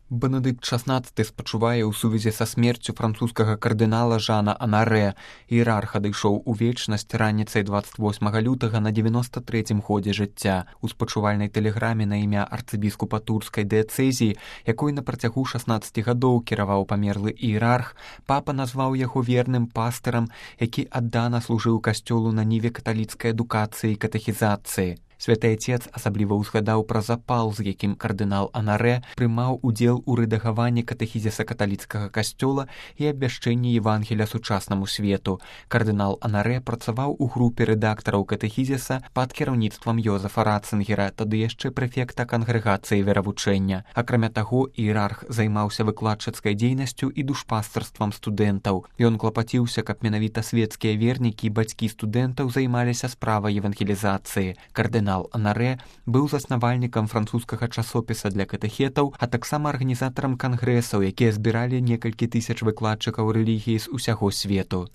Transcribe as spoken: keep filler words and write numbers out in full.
Бенедыкт шаснаццаты спачувае ў сувязі са смерцю французскага кардынала Жана Анарэ. Іерарх адышоў у вечнасць раніцай дваццаць восьмага лютага на дзевяноста трэцім годзе жыцця. У спачувальнай тэлеграме на імя арцыбіскупа турскай дыяцэзіі, якой на працягу шаснаццаці гадоў кіраваў памерлы іерарх, папа назваў яго верным пастырам, які аддана служыў касцёлу на ніве каталіцкай адукацыі і катэхізацыі. Святы Отец асабліва ўзгадаў пра запал, з якім кардынал Анарэ прымаў удзел у рэдагаванні катэхізіса каталіцкага касцёла і абвяшчэнні Евангелія сучаснаму свету. Кардынал Анарэ працаваў у групе рэдактараў катэхізіса пад кіраўніцтвам Йозефа Ратцынгера, тады яшчэ прэфекта кангрэгацыі веравучэння. Акрамя таго, іерарх займаўся выкладчыцкай дзейнасцю і душпастарствам студэнтаў. Ён клапаціўся, каб менавіта светскія вернікі і бацькі студэнтаў займаліся справай евангелізацыі. Кардынал Анарэ быў заснавальнікам французскага часопіса для катэхетаў, а таксама арганізатарам кангрэсаў, якія збіралі некалькі тысяч выкладчыкаў рэлігіі з усяго свету.